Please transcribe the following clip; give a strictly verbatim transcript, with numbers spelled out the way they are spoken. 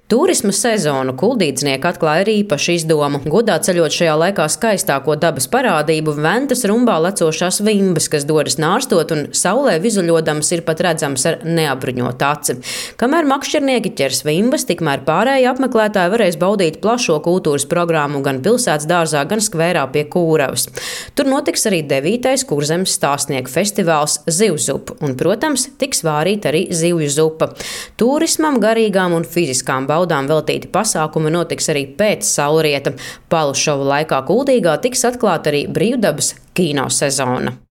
Tūrisma sezonu kuldīdznieki atklāja ar īpašu izdomu. Godā ceļot šajā laikā skaistāko dabas parādību Ventas rumbā lecošās vimbas, kas dodas nārstot un saulē vizuļodams ir pat redzams ar neapbruņotu aci. Kamēr makšķernieki ķers vimbas, tikmēr pārējie apmeklētāji varēs baudīt plašo kultūras programmu gan pilsētas dārzā, gan skvērā pie Kūravas. Tur notiks arī devītais Kurzemes stāstnieku festivāls Zivzupa un, protams, tiks vārīta arī zivju zupa. Tūrismam, garīgām un fiziskām baudām veltīti pasākumi notiks arī pēc saulrieta. Palu šova laikā Kuldīgā tiks atklāta arī brīvdabas kino sezona.